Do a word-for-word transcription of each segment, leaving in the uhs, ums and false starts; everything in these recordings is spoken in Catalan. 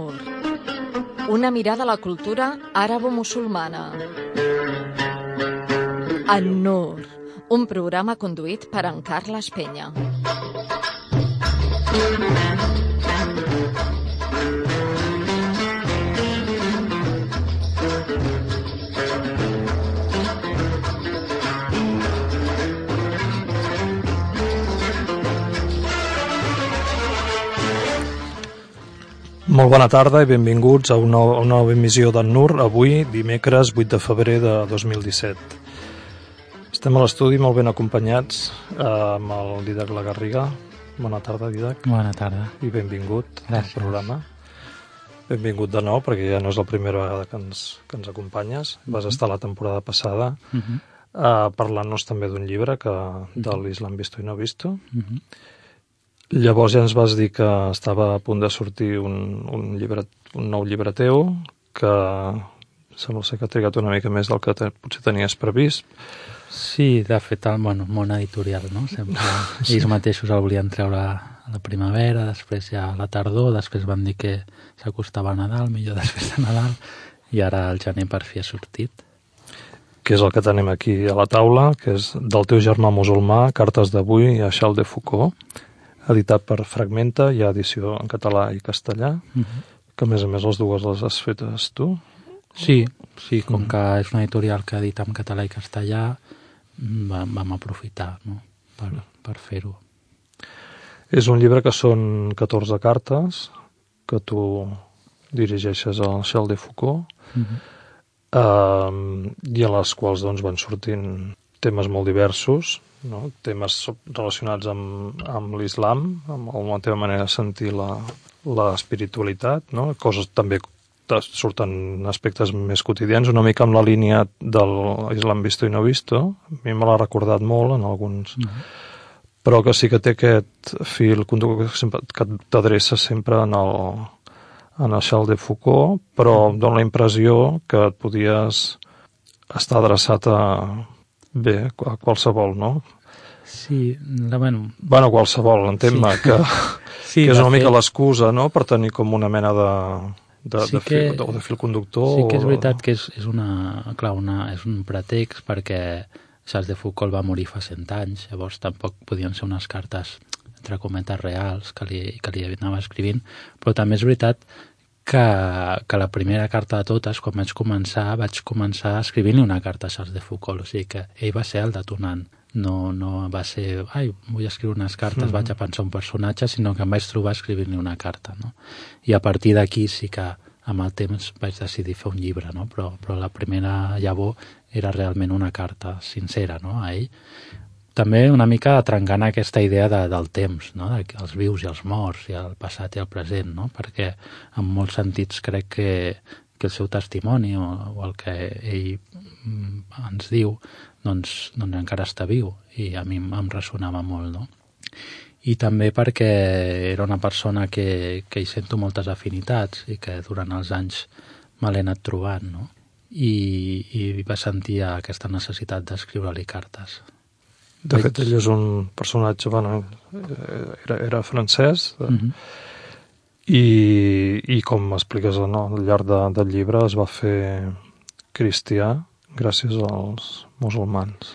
An-Nur, una mirada a la cultura àrabo-musulmana. An-Nur, un programa conduït per en Carles Penya. Molt bona tarda i benvinguts a una, una nova emissió d'An-Nur, avui, dimecres vuit de febrer de dos mil disset. Estem a l'estudi molt ben acompanyats eh, amb el Didac Lagarriga. Bona tarda, Didac. Bona tarda. I benvingut Gràcies. al programa. Benvingut de nou, perquè ja no és la primera vegada que ens, que ens acompanyes. Vas estar la temporada passada Uh-huh. eh, parlant-nos també d'un llibre que, de l'Islam Visto i No Visto. Uh-huh. Llavors ja ens vas dir que estava a punt de sortir un, un, llibre, un nou llibre teu, que sembla ser que ha trigat una mica més del que te, potser tenies previst. Sí, de fet, el bueno, món editorial, no? Sempre sí. Ells mateixos el volien treure a la primavera, després ja a la tardor, després van dir que s'acostava a Nadal, millor després de Nadal, i ara el gener per fi ha sortit. Que és el que tenim aquí a la taula, que és del teu germà musulmà, Cartes d'avui a Charles de Foucault, editat per Fragmenta, hi ha edició en català i castellà, uh-huh. que a més a més les dues les has fetes tu. Sí, sí, com uh-huh. que és una editorial que edita en català i castellà, vam, vam aprofitar, no? per, per fer-ho. És un llibre que són catorze cartes que tu dirigeixes al Charles de Foucault, uh-huh. eh, i a les quals doncs, van sortint temes molt diversos, no? Temes relacionats amb, amb l'islam, amb la teva manera de sentir la, la espiritualitat, no? Coses també surten aspectes més quotidians, una mica amb la línia de l'Islam Visto i No Visto. A mi me l'ha recordat molt en alguns, uh-huh. però que sí que té aquest fil conductor que t'adreça sempre en el, en el Charles de Foucault, però uh-huh. dona la impressió que et podies estar adreçat a bé, a qualsevol, no? Sí, la, bueno... Bueno, qualsevol, entén-me, sí. que, sí, que és una fet... mica l'excusa, no?, per tenir com una mena de, de, sí de, que, fil, de, de fil conductor. Sí que és o... veritat que és, és, una, clar, una, és un pretext perquè Charles de Foucault va morir fa cent anys, llavors tampoc podien ser unes cartes, entre cometes, reals que li, que li anava escrivint, però també és veritat que, que la primera carta de totes, quan vaig començar, vaig començar escrivint-li una carta a Charles de Foucault, o sigui que ell va ser el detonant. No, no va ser, ai, vull escriure unes cartes, mm-hmm. vaig a pensar un personatge, sinó que em vaig trobar escrivint-li una carta, no? I a partir d'aquí sí que amb el temps vaig decidir fer un llibre, no? Però, però la primera llavor era realment una carta sincera, no?, a ell. També una mica trencant aquesta idea de, del temps, no?, dels vius i els morts, i el passat i el present, no?, perquè en molts sentits crec que, que el seu testimoni o, o el que ell ens diu doncs, doncs encara està viu, i a mi em ressonava molt, no? I també perquè era una persona que, que hi sento moltes afinitats i que durant els anys me l'he anat trobant, no? I, i va sentir aquesta necessitat d'escriure-li cartes. De fet, ell és un personatge, bueno, era, era francès, uh-huh. i, i com m'expliques, no, al llarg de, del llibre es va fer cristià gràcies als musulmans.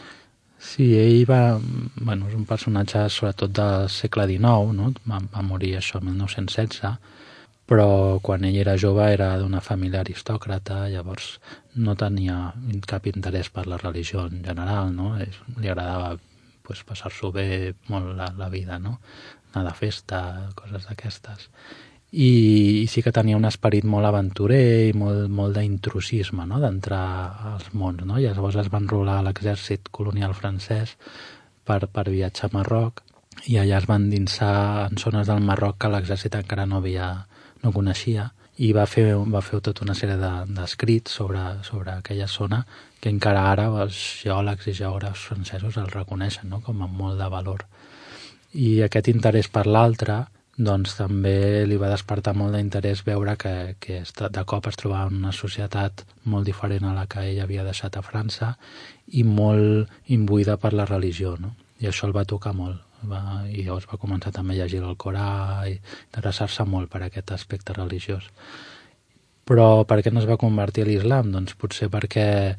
Sí, ell va... Bueno, és un personatge sobretot del segle dinou, no? Va, va morir això el mil nou-cents setze, però quan ell era jove era d'una família aristòcrata, llavors no tenia cap interès per la religió en general, no? Li agradava pues, passar-s'ho bé molt la, la vida, no? Anar de festa, coses d'aquestes. I, I sí que tenia un esperit molt aventurer i molt, molt d'intrusisme, no?, d'entrar als mons, no? I llavors es va enrolar a l'exèrcit colonial francès per, per viatjar a Marroc, i allà es van endinsar en zones del Marroc que l'exèrcit encara no havia, no coneixia, i va fer, va fer tota una sèrie d'escrits de, sobre, sobre aquella zona que encara ara els geòlegs i geògrafs francesos el reconeixen, no?, com a molt de valor. I aquest interès per l'altre doncs també li va despertar molt d'interès veure que, que de cop es trobava en una societat molt diferent a la que ell havia deixat a França i molt imbuïda per la religió, no? I això el va tocar molt. Va, i llavors va començar també a llegir el Corà i interessar-se molt per aquest aspecte religiós. Però per què no es va convertir a l'islam? Doncs potser perquè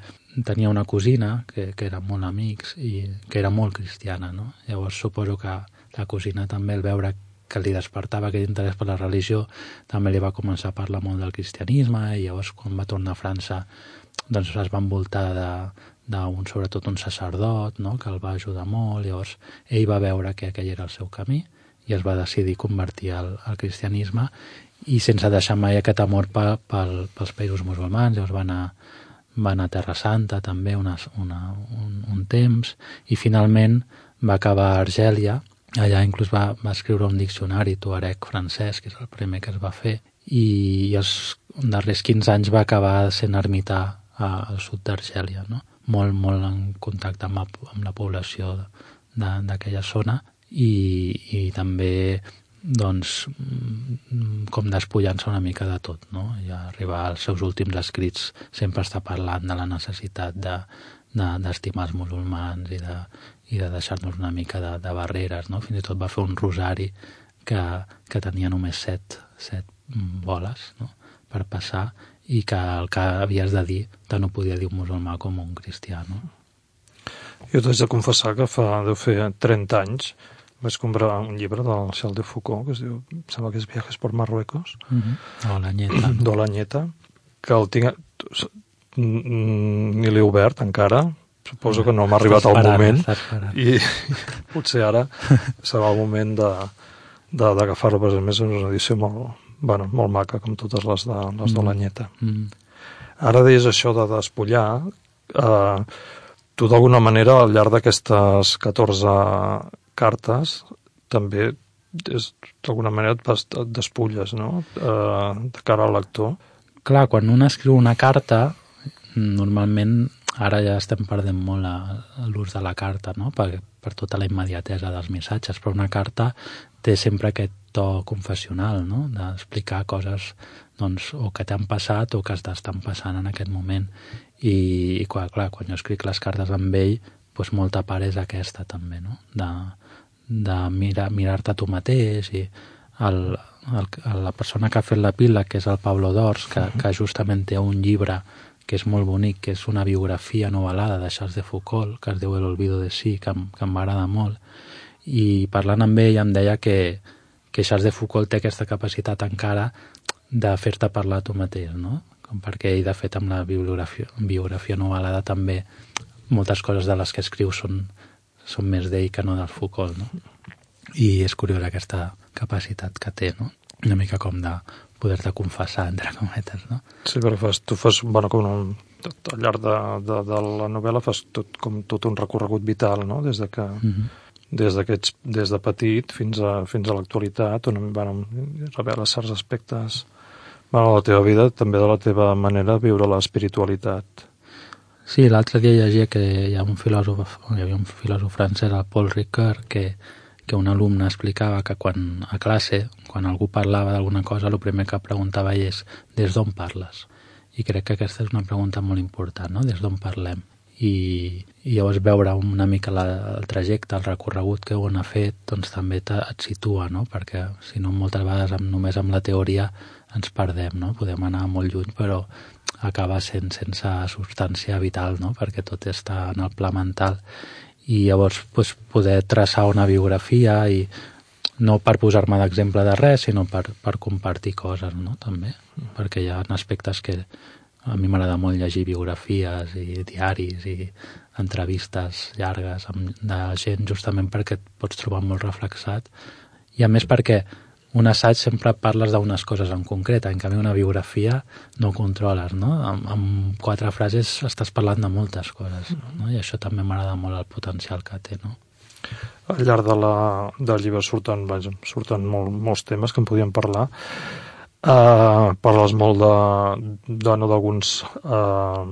tenia una cosina que, que eren molt amics i que era molt cristiana, no? Llavors suposo que la cosina també, al veure que li despertava aquest interès per la religió, també li va començar a parlar molt del cristianisme, i llavors quan va tornar a França doncs es va envoltar de, d'un, sobretot un sacerdot, no?, que el va ajudar molt. Llavors ell va veure que aquell era el seu camí i es va decidir convertir al, al cristianisme, i sense deixar mai aquest amor pe, pel, pels països musulmans. Llavors va anar, va anar a Terra Santa també una, una, un, un temps, i finalment va acabar a Argèlia. Allà inclús va, va escriure un diccionari tuareg francès, que és el primer que es va fer, i els darrers quinze anys va acabar sent ermità al sud d'Argèlia, no? Molt, molt en contacte amb la, amb la població d'aquella zona, i, i també doncs, com despullant-se una mica de tot, no? I arribar als seus últims escrits sempre està parlant de la necessitat de, de, d'estimar els musulmans i de, i de deixar-nos una mica de, de barreres, no? Fins i tot va fer un rosari que, que tenia només set, set boles, no?, per passar, i que el que havies de dir te no podia dir un musulmà com un cristià, no? Jo t'haig de confessar que fa, deu fer trenta anys, vaig comprar un llibre del Charles de Foucault, que es diu, em sembla que és Viajes por Marruecos, mm-hmm. Olañeta. d'Olañeta, que el tinc... ni l'he obert encara, suposo que no m'ha arribat el moment, i potser ara serà el moment de, de, d'agafar-lo, perquè a més és una edició molt, bueno, molt maca, com totes les de, les d'Olañeta. Mm. Ara deies això de despullar, eh, tu d'alguna manera al llarg d'aquestes catorze cartes també d'alguna manera et despulles, no?, eh, de cara al lector. Clar, quan un escriu una carta, normalment ara ja estem perdent molt a l'ús de la carta, no?, per, per tota la immediatesa dels missatges, però una carta té sempre aquest to confessional, no?, d'explicar coses, doncs, o que t'han passat o que estan passant en aquest moment. I, i clar, clar, quan jo escric les cartes amb ell, doncs molta part és aquesta també, no?, de, de mirar, mirar-te tu mateix. I el, el, la persona que ha fet la pila, que és el Pablo Dors, que, que justament té un llibre que és molt bonic, que és una biografia novel·lada de Charles de Foucault, que es diu El olvido de sí, que, que em va agradar molt. I parlant amb ell em deia que, que Charles de Foucault té aquesta capacitat encara de fer-te parlar tu mateix, no? Com perquè ell, de fet, amb la biografia, biografia novel·lada també moltes coses de les que escriu són, són més d'ell que no del Foucault, no? I és curiós aquesta capacitat que té, no? Una mica com de poder-te confessar, entre cometes, no? Sí, perquè fas, tu fas, bueno, com un, al llarg de, de, de la novel·la fas tot, com tot un recorregut vital, no?, des de que mm-hmm. des d'aquests, des de petit fins a, fins a l'actualitat, on bueno, revela certs aspectes, bueno, de la teva vida, també de la teva manera de viure l'espiritualitat. Sí, l'altre dia llegia que hi ha un filòsof, hi havia un filòsof francès, el Paul Ricoeur, que que un alumne explicava que quan a classe, quan algú parlava d'alguna cosa, el primer que preguntava ell és des d'on parles? I crec que aquesta és una pregunta molt important, no?, des d'on parlem. I, i llavors veure una mica la, el trajecte, el recorregut que on ha fet, doncs també te, et situa, no?, perquè si no moltes vegades amb, només amb la teoria ens perdem, no?, podem anar molt lluny, però acaba sent sense substància vital, no?, perquè tot està en el pla mental. I llavors pues, poder traçar una biografia, i no per posar-me d'exemple de res, sinó per, per compartir coses, no?, també, perquè hi ha aspectes que a mi m'agrada molt llegir biografies i diaris i entrevistes llargues amb, de gent, justament perquè et pots trobar molt reflexat, i a més perquè un assaig sempre parles d'unes coses en concret, en canvi una biografia no controles, no? Amb, amb quatre frases estàs parlant de moltes coses, no? I això també m'agrada molt el potencial que té, no? Al llarg de la, del llibre surten, vaja, surten molt, molts temes que en podíem parlar. Uh, parles molt de, de no d'alguns uh,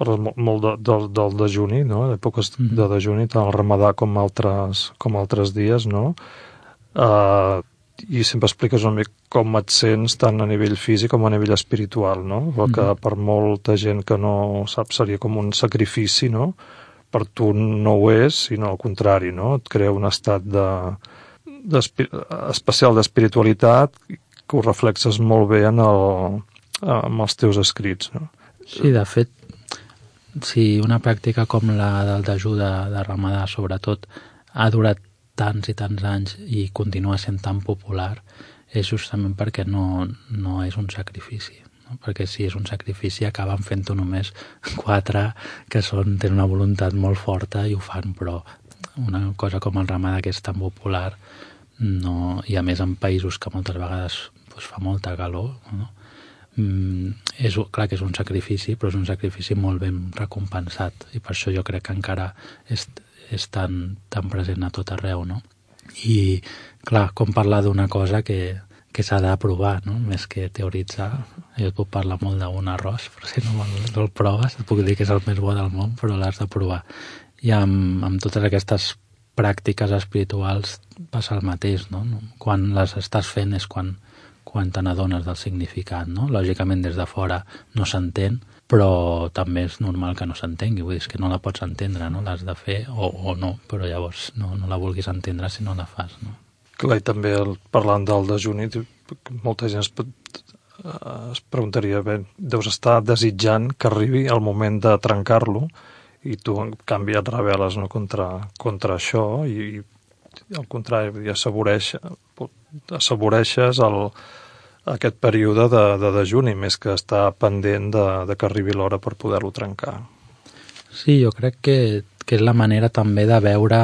parles molt, molt de, de, del dejuni, no? D'èpoques mm-hmm. de dejuni, tant el ramadà com altres, com altres dies, no? Uh, i sempre expliques una mica com et sents tant a nivell físic com a nivell espiritual, no? El que per molta gent que no sap seria com un sacrifici, no? per tu no ho és, sinó al contrari, no? Et crea un estat de, especial d'espiritualitat que ho reflexes molt bé en, el, en els teus escrits, no? Sí, de fet, si una pràctica com la del dejú de, de Ramadà, sobretot, ha durat tants i tants anys i continua sent tan popular, és justament perquè no, no és un sacrifici. Perquè si és un sacrifici acaben fent-ho només quatre que són, tenen una voluntat molt forta i ho fan, però una cosa com el Ramadà, que és tan popular, no, i a més en països que moltes vegades pues, fa molta calor, no? mm, és clar que és un sacrifici, però és un sacrifici molt ben recompensat, i per això jo crec que encara és, és tan, tan present a tot arreu, no? I clar, com parlar d'una cosa que que s'ha de provar, no? Més que teoritzar. Jo et puc parlar molt d'un arròs, però si no, no el proves, et puc dir que és el més bo del món, però l'has de provar. I amb, amb totes aquestes pràctiques espirituals passa el mateix, no? Quan les estàs fent és quan, quan te n'adones del significat, no? Lògicament des de fora no s'entén, però també és normal que no s'entengui, vull dir, és que no la pots entendre, no? L'has de fer o, o no, però llavors no, no la vulguis entendre si no la fas, no? Clar, i també el, parlant del dejuni, molta gent es, es preguntaria, bé, deus estar desitjant que arribi el moment de trencar-lo i tu, en canvi, et rebel·les, no, contra, contra això i, i al contrari, assaboreix, assaboreixes el, aquest període de, de dejuni, més que estar pendent de, de que arribi l'hora per poder-lo trencar. Sí, jo crec que, que és la manera també de veure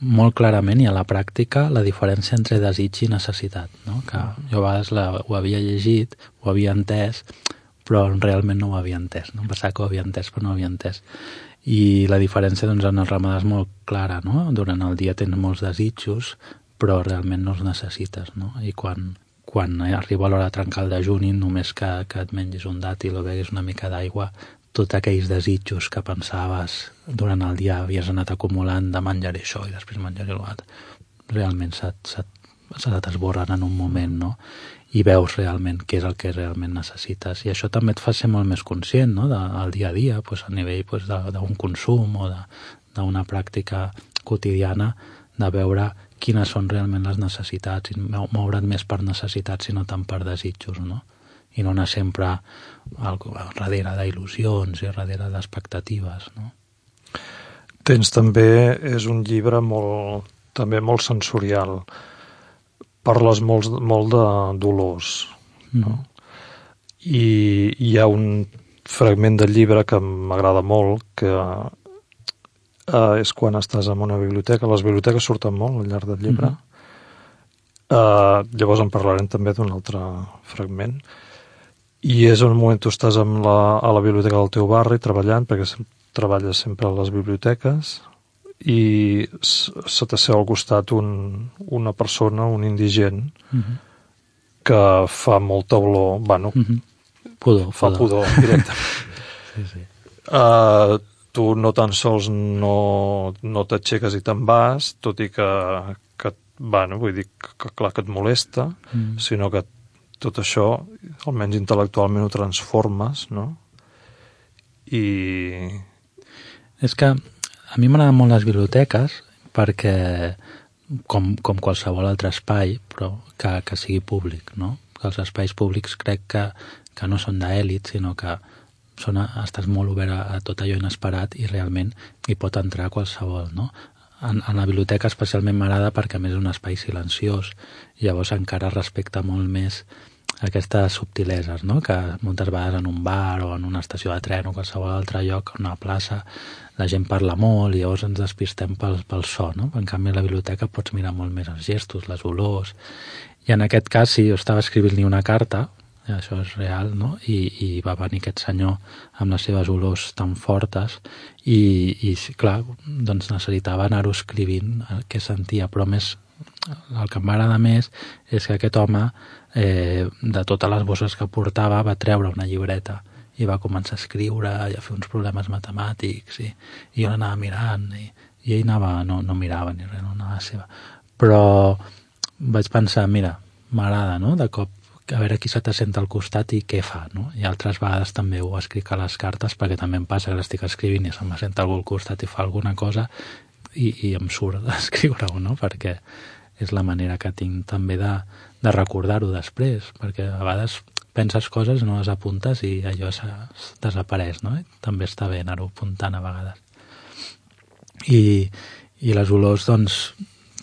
molt clarament i a la pràctica la diferència entre desig i necessitat, no? Que jo a vegades la, ho havia llegit, ho havia entès, però realment no ho havia entès, no? Em pensava que ho havia entès, però no ho havia entès. I la diferència doncs, en el Ramadà és molt clara, no? Durant el dia tens molts desitjos, però realment no els necessites, no? I quan, quan arriba l'hora de trencar el dejuni, només que, que et mengis un dàtil o beguis una mica d'aigua, tots aquells desitjos que pensaves durant el dia havies anat acumulant de menjaré això i després menjaré l'altre, realment se, se, se t'esborren en un moment, no? I veus realment què és el que realment necessites. I això també et fa ser molt més conscient, no? Del dia a dia, pues, a nivell pues, d'un consum o d'una pràctica quotidiana, de veure quines són realment les necessitats i moure't més per necessitats i no tant per desitjos, no? I no anar sempre al, darrere d'il·lusions i darrere d'expectatives, no? Tens també, és un llibre molt, també molt sensorial. Parles molt, molt de dolors, no? Mm. I hi ha un fragment del llibre que m'agrada molt, que eh, és quan estàs en una biblioteca. Les biblioteques surten molt al llarg del llibre. Mm-hmm. Eh, llavors en parlarem també d'un altre fragment. I és un moment tu estàs amb la, a la biblioteca del teu barri treballant, perquè sem treballes sempre a les biblioteques, i se t'asseu al costat un, una persona, un indigent, mm-hmm. que fa molta olor, bueno, mm-hmm. pudor, fa pudor, pudor directament. Sí, sí. Uh, tu no tan sols no, no t'aixeques i te'n vas, tot i que, que bueno, vull dir que, que clar que et molesta, mm. sinó que tot això, almenys intel·lectualment, ho transformes, no? I... És que a mi m'agraden molt les biblioteques perquè, com, com qualsevol altre espai, però que, que sigui públic, no? Que els espais públics crec que, que no són d'èlit, sinó que són, estàs molt obert a, a tot allò inesperat i realment hi pot entrar qualsevol, no? En, en la biblioteca especialment m'agrada perquè a més és un espai silenciós i llavors encara respecta molt més aquestes subtileses, no? Que moltes vegades en un bar o en una estació de tren o qualsevol altre lloc, en una plaça, la gent parla molt i llavors ens despistem pel, pel so, no? En canvi a la biblioteca pots mirar molt més els gestos, les olors, i en aquest cas si jo estava escrivint-li una carta, això és real, no? I, i va venir aquest senyor amb les seves olors tan fortes i, i clar, doncs necessitava anar-ho escrivint què sentia, però més el que em va agradar més és que aquest home eh, de totes les bosses que portava va treure una llibreta i va començar a escriure i a fer uns problemes matemàtics i, i jo l'anava mirant i, i ell anava, no, no mirava ni res, no anava a seva, però vaig pensar, mira, m'agrada, no?, de cop a veure qui se t'assenta al costat i què fa, no? I altres vegades també ho escric a les cartes, perquè també em passa que l'estic escrivint i se m'assenta algú al costat i fa alguna cosa i, i em surt d'escriure-ho, no? Perquè és la manera que tinc també de, de recordar-ho després, perquè a vegades penses coses, no les apuntes i allò se, desapareix, no? I també està bé anar-ho apuntant a vegades. I, i les olors, doncs,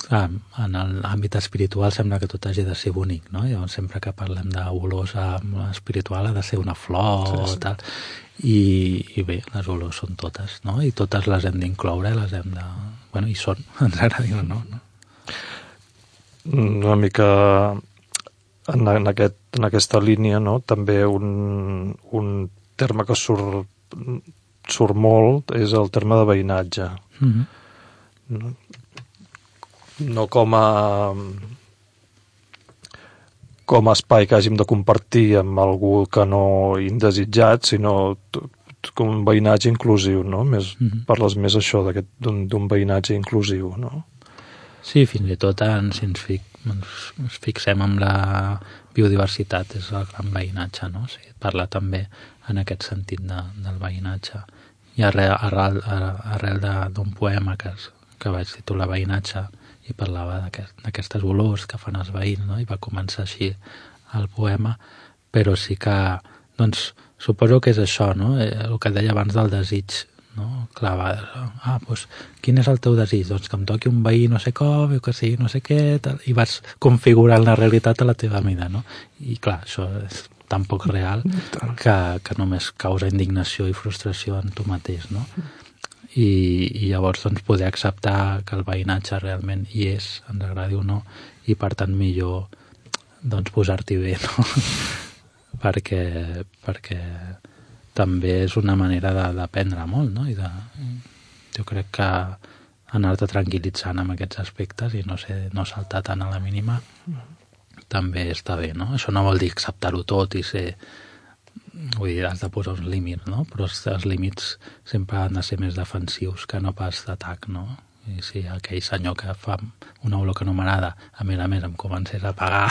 clar, en l'àmbit espiritual sembla que tot hagi de ser bonic, no? Llavors, sempre que parlem d'olors espiritual ha de ser una flor sí, sí. o tal. I, I bé, les olors són totes, no? I totes les hem d'incloure, les hem de... Bueno, i són, ens agradi o no, no? Una mica en, en, aquest, en aquesta línia, no? També un, un terme que surt, surt molt és el terme de veïnatge. Mm-hmm. No? no com a com a espai que hàgim de compartir amb algú que no indesitjat, sinó com un veïnatge inclusiu, no? Més, mm-hmm. Parles més això d'un veïnatge inclusiu, no? Sí, fins i tot en, si ens, fic, ens, ens fixem en la biodiversitat, és el gran veïnatge, no? O sigui, parla també en aquest sentit de, del veïnatge. I arrel, arrel, arrel d'un poema que, que vaig titular Veïnatge i parlava d'aquestes olors que fan els veïns, no? I va començar així el poema, però sí que, doncs, suposo que és això, no? El que deia abans del desig, no? Clar, va, ah, doncs, quin és el teu desig? Doncs que em toqui un veí no sé com, que sigui no sé què, tal, i vas configurant la realitat a la teva mida, no? I clar, això és tan poc real que, que només causa indignació i frustració en tu mateix, no? I, i llavors doncs, poder acceptar que el veïnatge realment hi és, ens agradi o no, i per tant millor doncs, posar-t'hi bé, no? perquè, perquè també és una manera d'aprendre molt, no? I de, jo crec que anar-te tranquil·litzant amb aquests aspectes i no, sé, no saltar tant a la mínima també està bé, no? Això no vol dir acceptar-ho tot i ser... Vull dir, has de posar uns límits, no? Però els límits sempre han de ser més defensius que no pas d'atac, no? I si aquell senyor que fa una olor que no m'agrada, a més a més em comencés a pagar,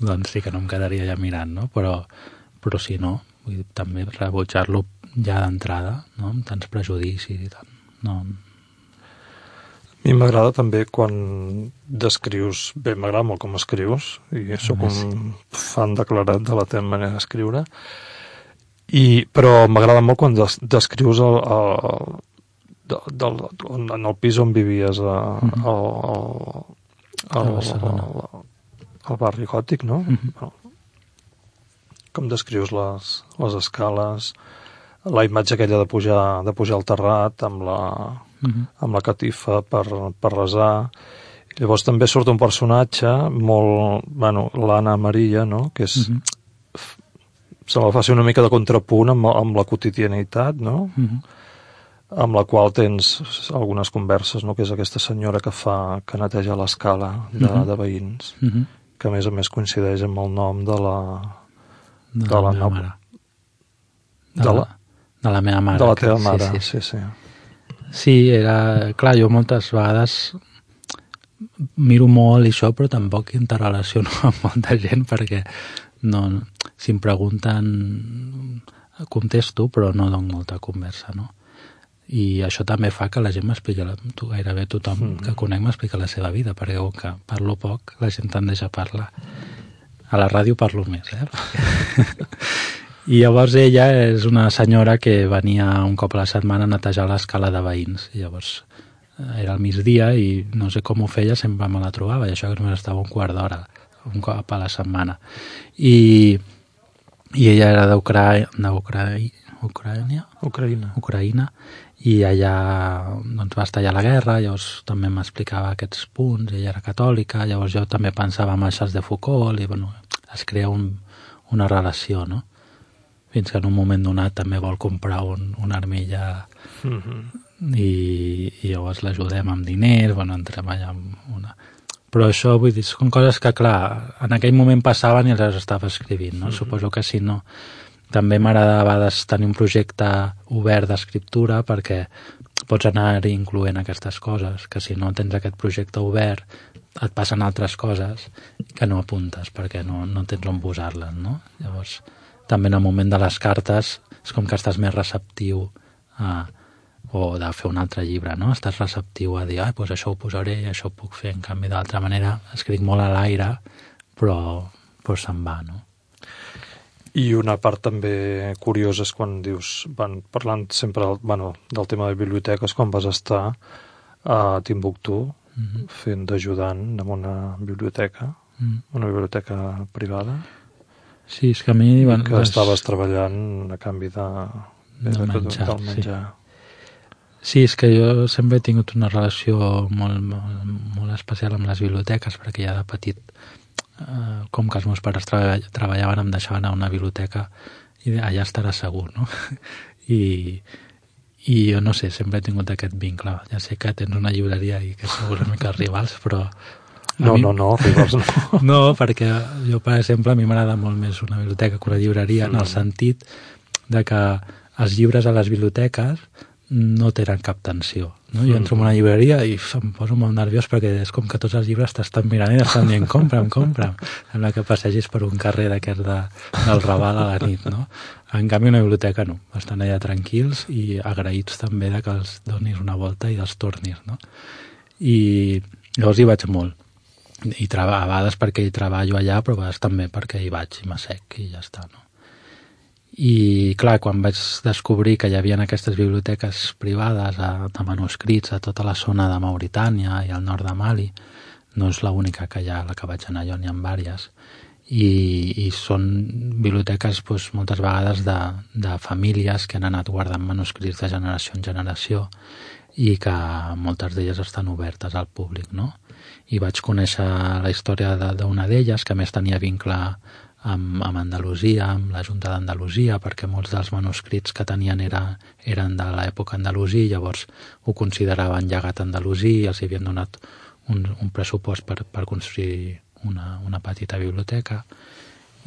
doncs sí que no em quedaria ja mirant, no? Però, però si no, vull dir, també rebutjar-lo ja d'entrada, no? Amb tants prejudicis i tant. No. A mi m'agrada també quan descrius... Bé, m'agrada molt com escrius, i sóc un fan declarat de la teva manera d'escriure, i, però m'agrada molt quan des, descrius el, el, del, del, en el pis on vivies a, mm-hmm. al, al, al, al, al barri gòtic, no? Mm-hmm. Bueno, com descrius les, les escales, la imatge aquella de pujar, de pujar al terrat amb la, mm-hmm. amb la catifa per, per resar. Llavors també surt un personatge molt... Bueno, l'Anna Maria, no? Que és... Mm-hmm. Se la fa ser una mica de contrapunt amb, amb la quotidianitat, no? Mm-hmm. Amb la qual tens algunes converses, no? Que és aquesta senyora que fa que neteja l'escala de, mm-hmm. de veïns, mm-hmm. que a més a més coincideix amb el nom de la... De, de la, la meva mare. De, de, la, de la meva mare. De la teva que, mare, sí, sí. sí, sí. Sí, era... Clar, jo moltes vegades miro molt i això, però tampoc interrelaciono amb molta gent, perquè no, si em pregunten contesto, però no dono molta conversa, no? I això també fa que la gent m'expliqui, gairebé tothom mm. que conec m'explica la seva vida, perquè com que parlo poc, la gent tendeix a parlar. A la ràdio parlo més, eh? I llavors ella és una senyora que venia un cop a la setmana a netejar l'escala de veïns. I llavors era al migdia i no sé com ho feia, sempre me la trobava, i això que només estava un quart d'hora, un cop a la setmana. I, i ella era d'Ucraïna, Ucraïna, Ucraïna, Ucraïna, i allà doncs, va estar allà la guerra, llavors també m'explicava aquests punts, ella era catòlica, llavors jo també pensava en Charles de Foucault, i bueno, es crea un, una relació, no? Fins que en un moment donat també vol comprar un, una armilla mm-hmm. i, i llavors l'ajudem amb diners, bueno, entrem allà amb una... Però això, vull dir, són coses que, clar, en aquell moment passaven i les estava escrivint, no? Mm-hmm. Suposo que si no... També m'agrada a vegades tenir un projecte obert d'escriptura perquè pots anar incloent aquestes coses, que si no tens aquest projecte obert et passen altres coses que no apuntes perquè no, no tens on posar-les, no? Llavors, també en el moment de les cartes és com que estàs més receptiu a, o de fer un altre llibre, no? Estàs receptiu a dir, ah, doncs això ho posaré i això ho puc fer, en canvi d'altra manera escric molt a l'aire, però, però se'n va, no? I una part també curiosa és quan dius, van parlant sempre bueno, del tema de biblioteques, quan vas estar a Timbuktu mm-hmm. fent d'ajudant en una biblioteca, mm. una biblioteca privada. Sí, és que a mi... I que les... estaves treballant a canvi de, de, de menjar. Del menjar. Sí. sí, és que jo sempre he tingut una relació molt, molt, molt especial amb les biblioteques, perquè ja de petit... Uh, com que els meus pares treball, treballaven em deixaven a una biblioteca i allà estarà segur, no? I, i jo no sé, sempre he tingut aquest vincle. Ja sé que tens una llibreria i que sou una mica rivals, però... No, mi... no, no, rivals no. No, perquè jo, per exemple, a mi m'agrada molt més una biblioteca que una llibreria, mm. en el sentit de que els llibres a les biblioteques no tenen cap tensió. No? Jo entro en una llibreria i em poso molt nerviós perquè és com que tots els llibres t'estan mirant i estan dient compra'm, compra'm. Sembla que passegis per un carrer d'aquest de, del Raval a la nit, no? En canvi, una biblioteca no. Estan allà tranquils i agraïts també de que els donis una volta i els tornis, no? I llavors hi vaig molt. I a vegades perquè hi treballo allà, però a vegades també perquè hi vaig i m'assec i ja està, no? I clar, quan vaig descobrir que hi havia aquestes biblioteques privades a, de manuscrits a tota la zona de Mauritània i al nord de Mali, no és l'única que hi ha, la que vaig anar jo, n'hi ha diverses, i, i són biblioteques doncs, moltes vegades de, de famílies que han anat guardant manuscrits de generació en generació i que moltes d'elles estan obertes al públic, no? I vaig conèixer la història d'una d'elles, que a més tenia vincle amb, amb Andalusia, amb la Junta d'Andalusia, perquè molts dels manuscrits que tenien era, eren de l'època andalusí, llavors ho consideraven llegat andalusí i els havien donat un, un pressupost per, per construir una, una petita biblioteca.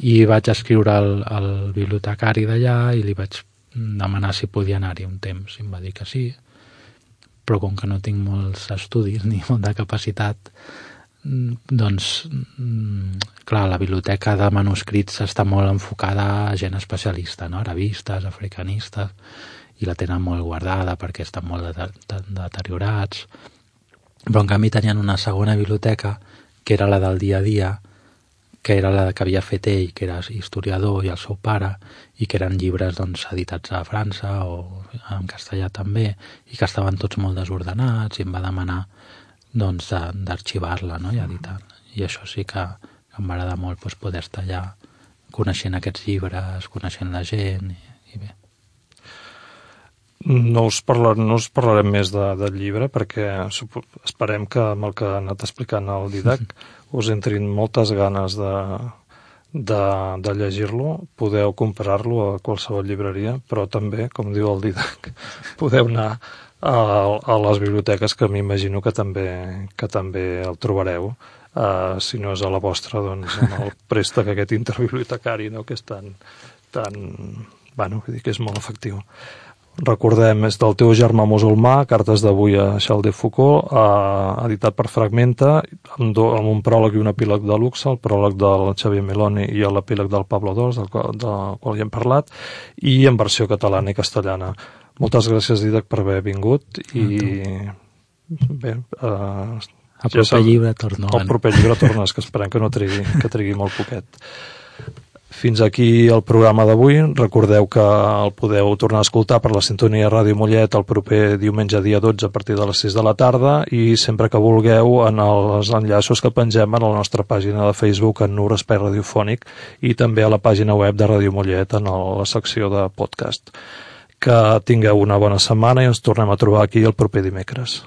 I vaig escriure al, al bibliotecari d'allà i li vaig demanar si podia anar-hi un temps, i em va dir que sí, però com que no tinc molts estudis ni molta capacitat, doncs, clar, la biblioteca de manuscrits està molt enfocada a gent especialista, no? Arabistes, africanistes, i la tenen molt guardada perquè estan molt deteriorats. Però en canvi tenien una segona biblioteca, que era la del dia a dia, que era la que havia fet ell, que era historiador, i el seu pare, i que eren llibres doncs, editats a França o en castellà també, i que estaven tots molt desordenats, i em va demanar doncs d'arxivar-la, no? I editar-la. I això sí que em va agradar molt doncs, poder estar allà coneixent aquests llibres, coneixent la gent i, i bé. No us, parlar, no us parlarem més de, del llibre perquè esperem que amb el que ha anat explicant el Didac us entrin moltes ganes de, de, de llegir-lo, podeu comprar-lo a qualsevol llibreria, però també, com diu el Didac, podeu anar a, a les biblioteques, que m'imagino que també, que també el trobareu, uh, si no és a la vostra, doncs amb el préstec aquest interbibliotecari, no? Que és tan, tan, bueno, vull dir que és molt efectiu. Recordem, és del teu germà musulmà, Cartes d'avui a Charles de Foucault, eh, editat per Fragmenta, amb, do, amb un pròleg i un epíleg de luxe, el pròleg del Xavier Meloni i l'epíleg del Pablo dos, del, del qual ja hem parlat, i en versió catalana i castellana. Moltes gràcies, Didac, per haver vingut i bé, eh, el proper ja llibre torno. El proper llibre tornes, que esperem que no trigui, que trigui molt poquet. Fins aquí el programa d'avui. Recordeu que el podeu tornar a escoltar per la sintonia Ràdio Mollet el proper diumenge dia dotze a partir de les sis de la tarda i sempre que vulgueu en els enllaços que pengem a la nostra pàgina de Facebook en Nur Espai Radiofònic i també a la pàgina web de Ràdio Mollet en la secció de podcast. Que tingueu una bona setmana i ens tornem a trobar aquí el proper dimecres.